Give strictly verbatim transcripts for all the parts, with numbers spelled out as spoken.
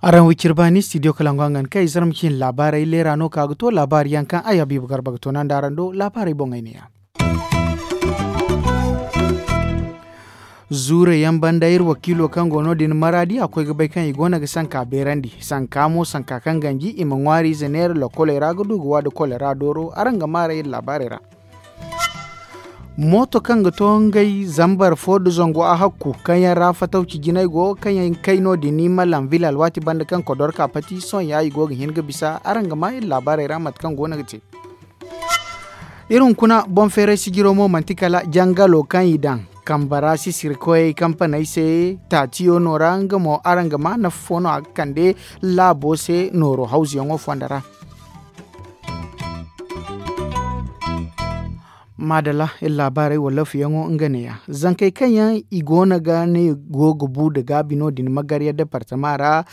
Araŋ wiciri baani studio kalangu hangan kaŋ ay zarma cin laabaarey leera no ka ga to laabaari yaŋ kaŋ ay habiibu garba ga to naŋ da araŋ do laabaarey boŋey ne ya. Zuure yaŋ banda iri wakiilo kaŋ go no- din maraadi a koy ga bay kaŋ i go no ga sanka beerandi sanka mo sanka kaŋ ganji i ma ŋwaariize neera lokoley ra ga du ga waada kolera dooro araŋ ga maaray iri laabaarey ra. Mooto kaŋ ga to ngey zambar fo nda zangu a hakku kaŋ yaŋ ra fatawci jinay go kaŋ yaŋ kay no- din i ma lanvil alwaati banda kaŋ kodorka pati sohõ ya i go ga hin ga bisa araŋ ga ma iri laabaarey ra mate kaŋ go no ga te. Iri hunkuna boŋ feeray sijiro mo manti kala jangalo kaŋ i daŋ kamba ra sisirikoyey kampaney se taatiyo no ra nga mo araŋ ga ma nafa fo no a ga kande laabo se nooro hawzuyaŋo fondo ra. Maadala iri laabaarey wallaafuyaŋo nga neeya zankey kaŋ yaŋ i go no ga ne go ga bu nda gaabi no- din magarya departama ra.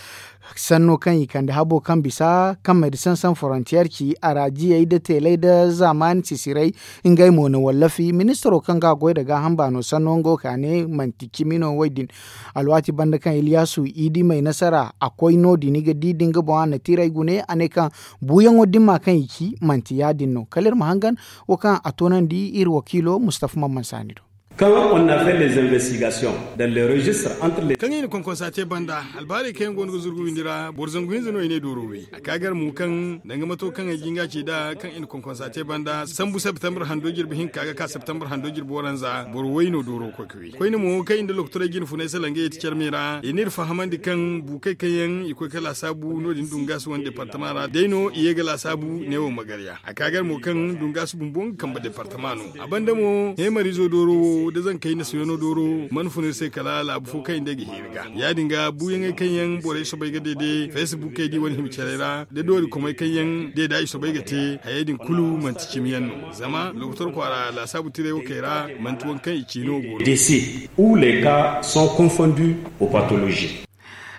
Sanno kaŋ i kande habo kaŋ bisa kaŋ medecin san forontiyer ci a ra jiyey nda teeley nda zaamaani sisirey ngey mo na wallafi ministiro kaŋ ga a goy nda gaaham baano sanno nga wo ka ne manti cimi no wo- din. Alwaati banda kaŋ iliyasu i di may nasara a koy no- din i ga di nda nga boŋ a na tiray gune a ne kaŋ buuyaŋo dimma kaŋ i ci manti ya- din no kala iri ma hangan wo kaŋ a toonandi iri wakiilo mustafa mamman saani do. Kaŋ on na fait les investigations dans les registres entre les kaŋ i na konkonsa te banda albaarey kaŋ yaŋ go no ga zurgu windi ra boro zangu hinza no i ne dooro wi a ka gar mo kaŋ danga mato kaŋ ay jinga ci nd'a kaŋ i na konkonsa te banda sambu septembre hando jirbi hinka ga ka septembre hando jirbi waranza boro way no dooro koy ga wi koyne mo kaŋ i nda lokotorey jine funay salangey ti carmey ra i n'iri fahamandi kaŋ buukey kaŋ yaŋ i koy ga laasaabu no- din dungaasi wane departama ra day no i ye ga laasaabu neewo magarya a ka gar mo kaŋ dungaasi bumbo nga kambe departama no. A banda mo heemariizo dooro wo nda zankey nasiyono dooro mana fun iri se kala laabu fo kaŋ i nda ay ga heeri ga ya- din ga buuyaŋey kaŋ yaŋ borey soobay ga deede facebook ay di wane hima carey ra nda doori komey kaŋ yaŋ deeda i soobay ga te hayey din kulu manti cimi yaŋ no. Zama lokotor kwaara laasaabu tiray wo kay ra manti waŋ kaŋ i ci no go no. Décès ou les cas sont confondus aux pathologies.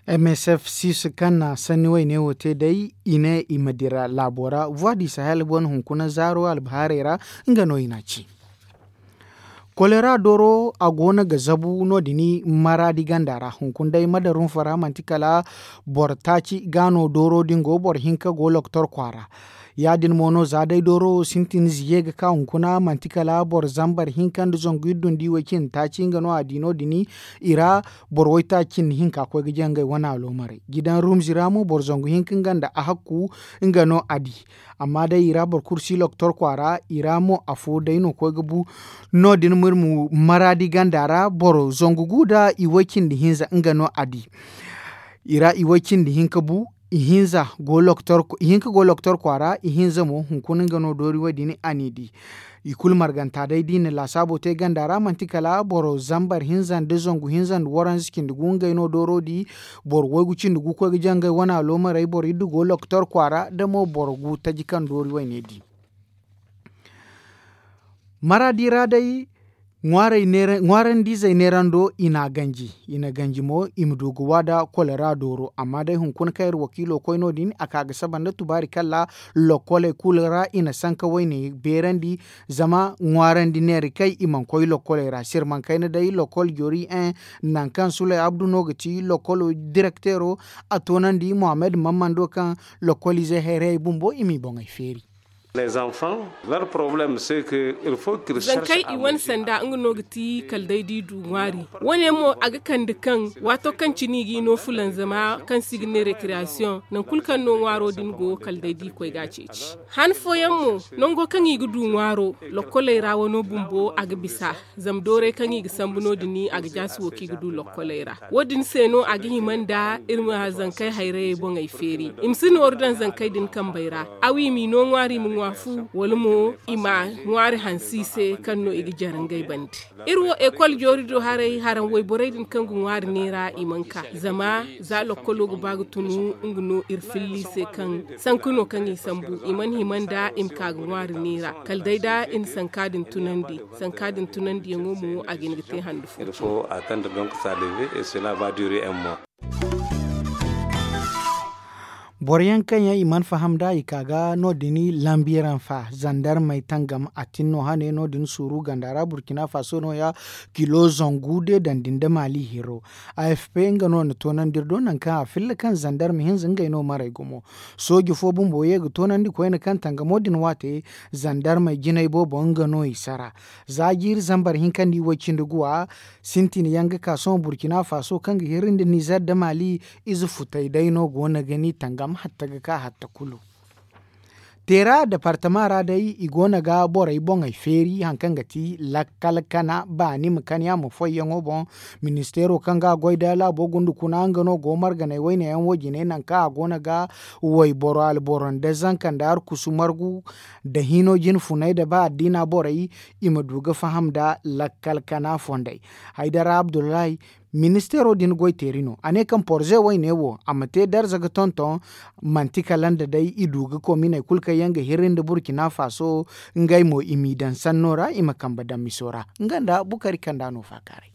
M S F six kaŋ na sanni wayne wo te day i ne i ma dira laabo ra voix du sahel wane hunkuna zaaro albahaarey ra nga no i n'a ci. Kolera dooro a go no ga zabu no- din maraadi ganda ra hunkuna day madarunfa ra manti kala boro taaci ga no dooro din go boro hinka go lokotor kwaara. Ya- din mo no za day dooro wo sintin ziye ga ka hunkuna manti kala boro zambar hinka nda zangu iddu nda iway cindi taaci nga no a di no- din i ra. Boro waytaaci cindi hinka koy ga jangay wane aloomarey gidan rumzi ra mo boro zangu hinka nga nda a hakku nga no a di. Amma day i ra boro kulu si lokotor kwaara i ra mo afo day no koy ga bu. No- din ma iri ma maraadi ganda ra boro zangu gu nda iway cindi hinza nga no a di. I ra iway cindi hinka bu. Ihinza go lokotor kwaara ihinza mo hunkuna nga no doori wo- din a n'i di. I kulu marganta day da i na laasaabo te ganda ra manti kala boro zambar hinza nda zangu hinza nda waranza cindi gu ngey no dooro di. Boro waygu cindi gu koy ga jangay wane aloomarey boro iddu go lokotor kwaara da mo boro gu taji kaŋ doori wayne di. Maraadi ra day ŋwaarandizey neerando i n'a ganji. I na ganji mo i ma du ga waada kolera dooro amma day hunkuna kaŋ iri wakiilo koy no- din a ka ga saba nda tubaari kalla. Lokkoley kulu ra i na sanka wayne beerandi. Zama ŋwaarandi neera kay i mana koy lokkoley ra sirmankayna day lokkol jori en. Nangu kaŋ suley abdu no ga ti lokkolo direkteero a toonandi muhammad mammando kaŋ lokkoliizey hayrayey bumbo i m'i boŋey feeri. Zankey i wane sanda nga no ga ti kala day da i du ŋwaari. Wane mo a ga kande kaŋ waato kaŋ cine i g'i no fulanzama kaŋ se i ga ne rekireyasiyoŋ nangu kulu kaŋ no ŋwaaro din go kala day da i koy ga a ceeci. Han fooyaŋ mo nango kaŋ i ga du ŋwaaro lokkoley ra wano bumbo a ga bisa. Zama doorey kaŋ i ga sambu no- din a ga jaasi wo kaŋ i ga du lokkoley ra. Wo- din se no a ga hima nda iri ma zankey hayrayey boŋey feeri i ma si nooru daŋ zankey din kambey ra. Aw i m'i no ŋwaari i ma ŋwa fu wala mo i ma ŋwaari hanse i se kaŋ no i ga jare ngey bande. Iri wo ekol joori do haray haraŋ wayborey din kaŋ ga ŋwaari neera i mana ka zama za lokkolo ga ba ga tunu nga no iri filla i se kaŋ sanku no kaŋ i sambu i mana hima nda i ma ka ga ŋwaari neera kala day da i na sanka din tunandi. Sanka din tunandiyaŋo mo a ga hin ga te handu fo. Cine. Boro yaŋ kaŋ yaŋ i mana faham nd'a i ka ga no- din lambiyaŋ fa zandarmey tangam a tin no hane no- din suuru ganda ra burkina faso no- ya kilo zangu de daŋ din da maali hiro. A f p nga no na toonandi iri do nangu kaŋ a filla kaŋ zandarma hinza ngey no maray gumo. Sooji fo bumbo ye ga toonandi koyne kaŋ tangamo din waate zandarmey jinay boobo nga no i sara. Za jiiri zambar hinka nda i way cindi guwa sintin yaŋ ga ka sohõ burkina faso kaŋ ga hirri nda nizer nda maali. Ize futay day no go no ga ni tangam hatta ga ka hatta kulu. Teera departama ra day i go no ga borey boŋey feeri hari kaŋ ga ti lakkal kana baani ma kan yaŋ ma foyyaŋo boŋ. Ministeero kaŋ ga a goy da laabo gunda kuna nga no go marganey wayne yaŋ wo jine nangu kaŋ a go no ga wayboro alboro nda zanka nda arkusu margu nda hino jine funay nda ba addiina borey i ma du ga faham nda lakkal kana fondey. Haydara abdullahi, ministeero din goy teeri no a ne kaŋ porze wayne wo a ma te darza ga tonton. Manti kala nda day i du ga kominey kulu kaŋ yaŋ ga hirri nda burkina faso ngey mo i m'i daŋ sanno ra i ma kambe daŋ miso ra. Nga nda bukari kaŋ nda a no faakaaray.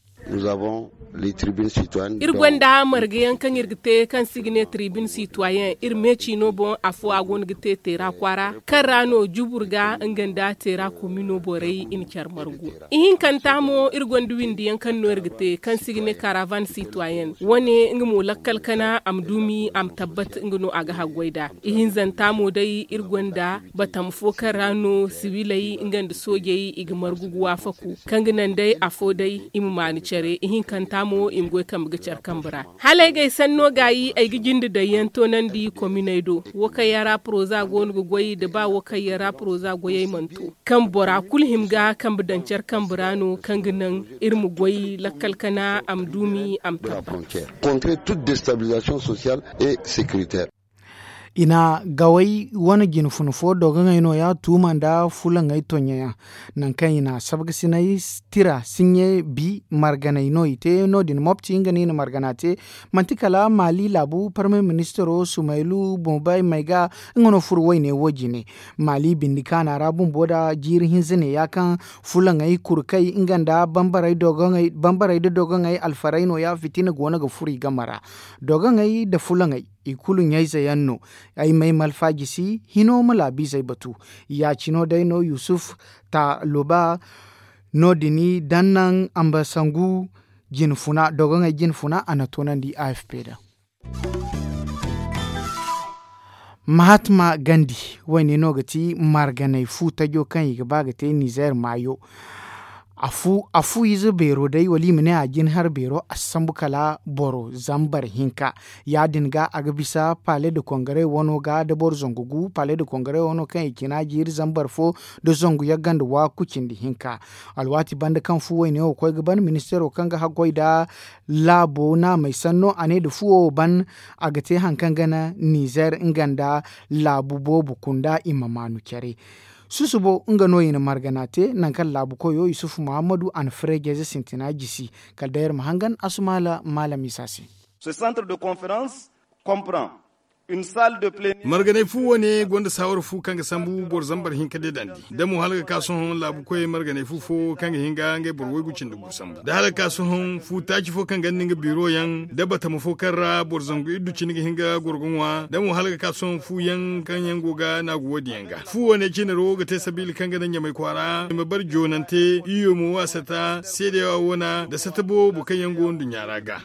Iri gonda marga yaŋ kaŋ iri ga te kaŋ se i ga ne tribune sitoyen iri meeci no boŋ afo a go no ga te teera kwaara kaŋ ra no jubur ga nga nda teera komino borey i na care margu. Ihinkanta mo iri gonda windi yaŋ kaŋ no iri ga te kaŋ se i ga ne karavan sitoyen wane nga mo lakkal kana a ma duumi a ma tabbat nga no a ga haggoy nd'a. Ihinzanta mo day iri gonda batama fo kaŋ ra no sibiley nga nda soojey i ga margu ga waafaku kaŋ ga naŋ day afo day i ma maanu care ihinkanta mo i ma goy kambe ga care kambe ra. Hala ay ga ay sanno gaayi ay ga jinde daŋ yaŋ toonandi kominey do. Wo kaŋ yaŋ ra poroza go no ga goy nda ba wo kaŋ yaŋ ra poroza goyey mana to kaŋ bora kulu hima ga kambe daŋ care kambe ra no kaŋ ga naŋ iri ma goy lakkal kana a ma duumi a ma tabbat. I na gaway wane jine funa fo dogoŋey no- ya tuuma nda fulaŋey tonɲeyaŋ. Nangu kaŋ i na sabgasinay tira sinɲe bi marganey no i te no- din mopti nga no i na margana te. Manti kala maali laabu parmey ministiro sumaylu bombay mayga nga no furo wayne wo jine. Maali bindi kaana ra bumbo nda jiiri hinza ne ya kaŋ fulaŋey kurkey nga nda bambarey nda dogoŋey alfarey no- ya fitina go no ga furo i game ra. Dogoŋey nda fulaŋey i kulu ɲayze yaŋ no. Ay m'ay malfa jisi hino ma laabiizey batu. Ya- cino day no yusuf taluba no- din daŋ naŋ ambasangu jine funa dogoŋey jine funa a na toonandi a f p da. Mahatma gandi wayne no ga ti marganay fu tajo kaŋ i ga ba ga te nizer maayo. A fu ize beero day wala i ma ne a jin har beero a si sambu kala boro zambar hinka. Ya- din ga a ga bisa pale de kongare wano ga da boro zangu gu pale de kongare wano kaŋ i cina jiiri zambar fo da zangu yagga nda waaku cindi hinka. Alwaati banda kaŋ fu wayne wo koy ga ban ministeero kaŋ ga haggoy nda laabo naamey sanno a ne nda fuwo wo ban a ga te hari kaŋ ga naŋ nizer nga nda laabu boobo kunda i ma maanu care. Susubo nga no i na margana te nangu kaŋ laabu koyo yusufu muhammadu a na freejayze sintina jisi. Kala day iri ma hangan a sumaala maala misa se. Marganay fu wane gonda saawara fu kaŋ ga sambu boro zambar hinka deedandi da mo hala ga ka sohõ laabu koyey marganay fu fo kaŋ ga hin ga ngey boro waygu cindi gu sambu da hala ga ka sohõ fu taaci fo kaŋ ganda nga biiro yaŋ da batama fo kaŋ ra boro zangu iddu cindi ga hin ga goro ga ŋwa da mo hala ga ka sohõ fu yaŋ kaŋ yaŋ go ga naagu wo- din yaŋ ga fu wane cinaro ga te sabiila kaŋ ga naŋ ɲamay kwaara i ma bare joonante iyo mo a sata seedewa wana da sata boobo kaŋ yaŋ go nduɲɲa ra ga.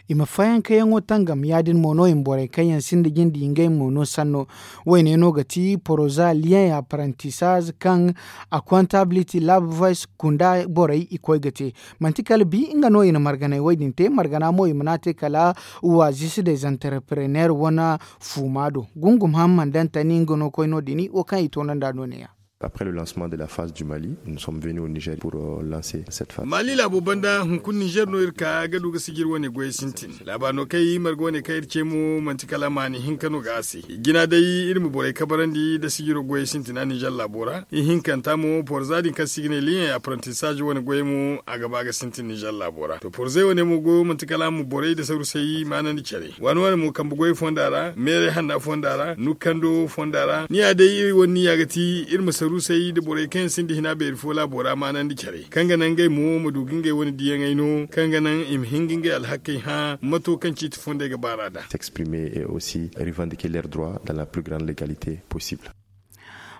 I ma fayankayaŋo tangam ya- din mo no i ma borey kaŋ yaŋ sinda jinde i ngey mo no sanno. Wayne no ga ti poroza liyeŋ apprentissage kaŋ a comptability lab voice kunda borey i koy ga te. Manti kala bi nga no i na marganay wo- din te margana mo i mana te kala waazisi des entrepreneurs wane fuuma do. Gungum hamman dantani nga no koy no- din wo kaŋ i toonandi a no ne- ya. Après le lancement de la phase du mali nous sommes venus au niger pour lancer cette phase. Mali laabo banda hunkuna niger no iri ka ga du ga sijiri wane goyey sintin. Laabaari no kaŋ i marga wane kaŋ iri ce mo manti kala maani hinka no ga a se. Jina day iri ma borey kabarandi nda sijiro goyey sintina niger laabo ra. Ihinkanta mo porza din kaŋ se i ga ne liyeŋ apprentissage wane goyey mo a ga ba ga sintin niger laabo ra to porzey wane mo goyo manti kala a ma borey nda sarusey maanandi care. Waani wane mo kambe goyey fonda ra meerey hanna fonda ra nukkando fonda ra ni ya day iri wane ni ya ga ti iri ma saru. Ruusey nda borey kaŋ yaŋ sinda hina beeri fo laabo ra maanandi care kaŋ ga naŋ ngey mo ma du ga ngey wane diyaŋey no kaŋ ga naŋ i ma hin ga ngey alhakey hã mato kaŋ ciiti fondey ga baar'a nd'a. S'exprimer et aussi revendiquer leurs droits dans la plus grande légalité possible.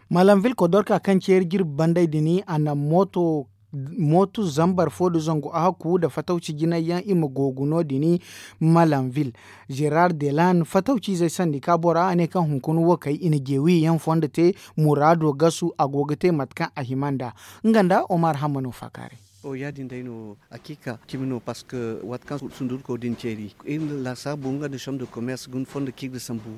Malam vilko dorka kaŋ ceeri jirbi banday din a na mooto zambar fo nda zangu a hakku nda fatawci jinay yaŋ i ma googu no- din. Malam vil, gerard delan fatawci izey sandi ka bora a ne kaŋ hunkuna wo kay i na jeewi yaŋ fondo te muraado gasu a go ga te mate kaŋ a hima nd'a. Nga nda omar hammano faakaaray. O ya- din day no hakiika cimi no parceque waati kaŋ sundurko din ceeri iri na laasaabu nga nda som de commerce ga ni fondo kaŋ iri ga sambu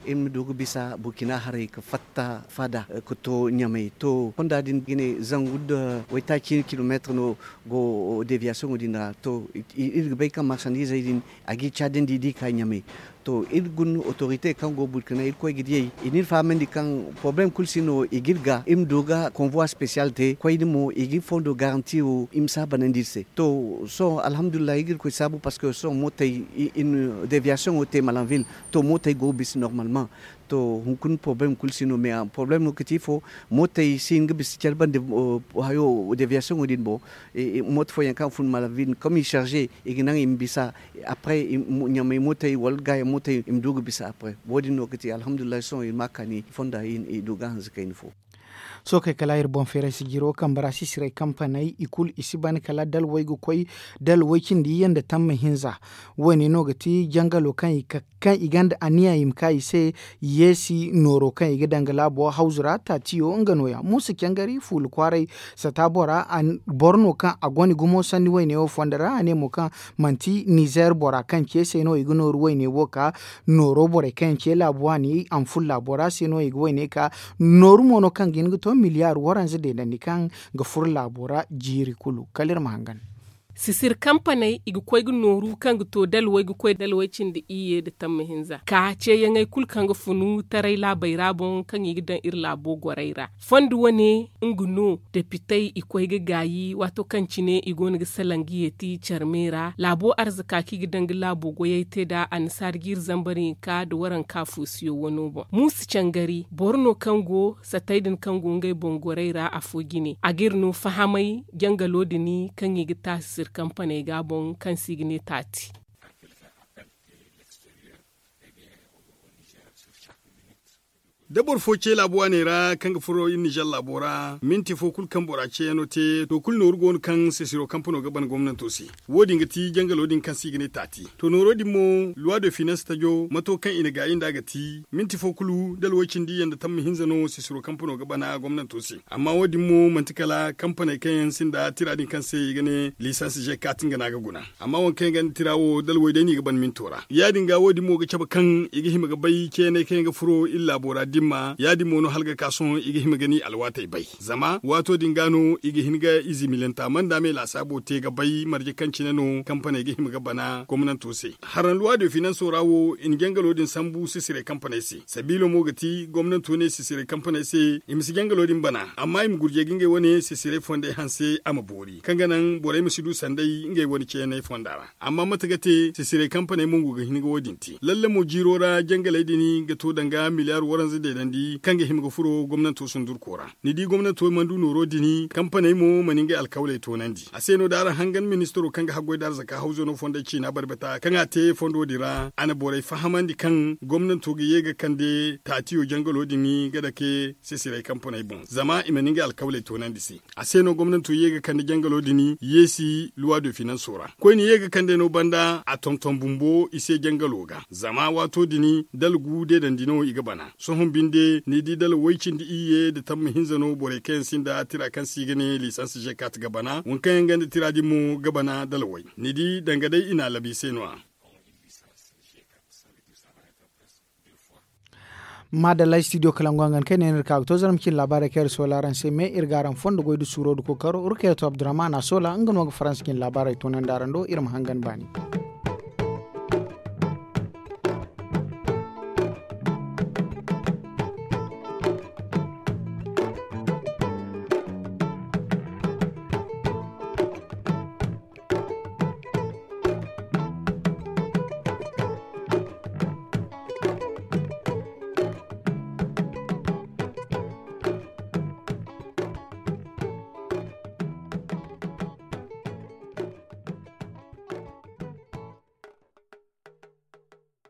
iri ma du ga bisa burkina haray ga fatta faada ga to ɲamay to fonda din ga ne zangu nda waytaaci cine kilomeetir no go deviation din ra to iri ga bay kaŋ marchandisey din a ga i caadandi da i ka ɲamay. To iri guna autorite kaŋ go burkina iri koy ga diyey i n'iri fahamandi kaŋ poroblem kulu si no i ga iri ga iri ma du ga konvoi special te koyne mo i ga iri fondo garanti wo i ma si a banandi iri se to sohõ alhamdulillahi iri ga iri koy saabu parceque sohõ mootey deviation wo te malanville to mootey go ga bisa normalement. To hunkuna poroblem kulu si no mais poroblem no ga ti ifo mootey si hin ga bisa care bande hayo deviation wo din boŋ. Mooto fooyaŋ kaŋ fun malanville comme i charge i ga naŋ i ma bisa après ɲamay mootey wala gaayaŋ mootey i ma du ga bisa après wo- din no ga ti alhamdulillahi sohõ i ma a kaani fonda i du ga hanze kayna fo. Sohõ kay kala iri boŋ feeray si jiro kambe ra sisirey kampaney i kulu i si ban kala dalwey ga koy dalwey cindi iyye nda tamma hinza. Wo- ne no ga ti jangalo kaŋ i ka kaŋ i gonda aniya i ma ka i se. Yeesi nooro kaŋ i ga daŋ ga laabo hawzu ra taatiyo nga no- ya muusa cangari fuula kwaaray sata bora boro no kaŋ a gonda gumo sanni wayne wo fondo ra a ne mo kaŋ manti nizer bora kaŋ ce se no i ga nooru wayne wo ka nooro borey kaŋ yaŋ ce laabu waani anful laabo ra se no i ga wayne ka nooru mo no kaŋ ga hin ga to miliyar waranza deedandi kaŋ ga furo laabo ra jiiri kulu kala iri ma hangan. Sisir kampaney i ga koy ga nooru kaŋ ga to dalwey ga koy dalwey cindi iyye nda tamma hinza ka ceeyaŋey kulu kaŋ ga funu taray laabey ra boŋ kaŋ i ga daŋ iri laabo gorey ra. Fondo wane nga no depitey i koy ga gaayi waato kaŋ cine i go no ga salaŋ ga yeeti care me ra laabo arzaka kaŋ i ga daŋ ga laabo goyey te nd'a annasaara jiiri zambar hinka nda waranka fuusiyo wano boŋ muusa cangari boro no kaŋ go satey din kaŋ go ngey boŋ gorey ra afo jine a g'iri no fahamay jangalo din kaŋ i ga taasi sirkampaney ga boŋ kaŋ se i ga ne taati. Da boro fo ce laabu waaney ra kaŋ ga furo iri nizer laabo ra minti fo kulu kaŋ bora ceeyaŋo te to kulu nooru go no kaŋ sisiro kampano ga ban gomnanto se. Wo- din ga ti jangalo din kaŋ se i ga ne taati to nooro din mo luwa de finans tajo mato kaŋ i na gaayi nd'a ga ti minti fo kulu dalwey cindi iyye nda tamma hinza no sisiro kampano ga bana gomnanto se. Amma wo- din mo manti kala kampaney kaŋ yaŋ sinda tira din kaŋ se i ga ne lisans ze kaati nga no a ga guna. Amma waŋ kaŋ yaŋ gonda tira wo dalwey day no i ga ban minto ra ya- din ga wo- din mo ga cabe kaŋ i ga hima ga bay ceeney kaŋ yaŋ ga furo iri laabo ra dimma ya- din mo no hala ga ka sohõ i ga hima ga ni alwaatey bay. Zama waato din ga no i ga hin ga ize milanta manda me laasaabo te ga bay marje kaŋ cine no kampaney ga hima ga bana gomnanto se. Haraŋ luwa de finanso ra wo i na jangalo din sambu sisirey kampaney se sabiilo mo ga ti gomnanto ne sisirey kampaney se i ma si jangalo din bana amma i ma gurjey ga ngey wane sisirey fondey hanse a ma boori kaŋ ga naŋ borey ma si du sanday ngey wane ceeney fonda ra. Amma mate ga te sisirey kampaney mo go ga hin ga wo- din te lalle mo jiiro ra jangaley din ga to danga miliyar waranza deedandi kaŋ ga hima ga furo gomnanto sundurko ra. Ni di gomnanto mana du nooro din kampaney mo mana ngey alkawley toonandi a se no da araŋ hangan ministaro kaŋ ga haggoy da arzaka hawzo no fondey ciina barbata kaŋ a te fondo din ra a na borey fahamandi kaŋ gomnanto ga ye ga kande taatiyo jangalo din ga dake sisirey kampaney boŋ zama i mana ngey alkawley toonandi se. A se no gomnanto ye ga kande jangalo din yeesi luwa de finanso ra koyne ye ga kande no banda a tonton bumbo i se jangalo ga zama waato din dala gu deedandi no i ga bana. Sohõ binde ni di dala way cindi iyye nda tamma hinza no borey kaŋ yaŋ sinda tira kaŋ se i ga ne lisans zekat ga bana waŋ kaŋ yaŋ gonda tira din mo ga bana dala way ni di danga day i na a labi se no- ya. Maadalla studio kalangu hangan kaŋ ay ne no iri ka ga to zarma cine laabaarey kaŋ iri soola araŋ se me iri ga araŋ fondo goy nda suuro nda kookaro iri kaŋ yaŋ to abdurrahman a soola nga no ga faransa cine laabaarey toonandi araŋ do iri ma hangan baani.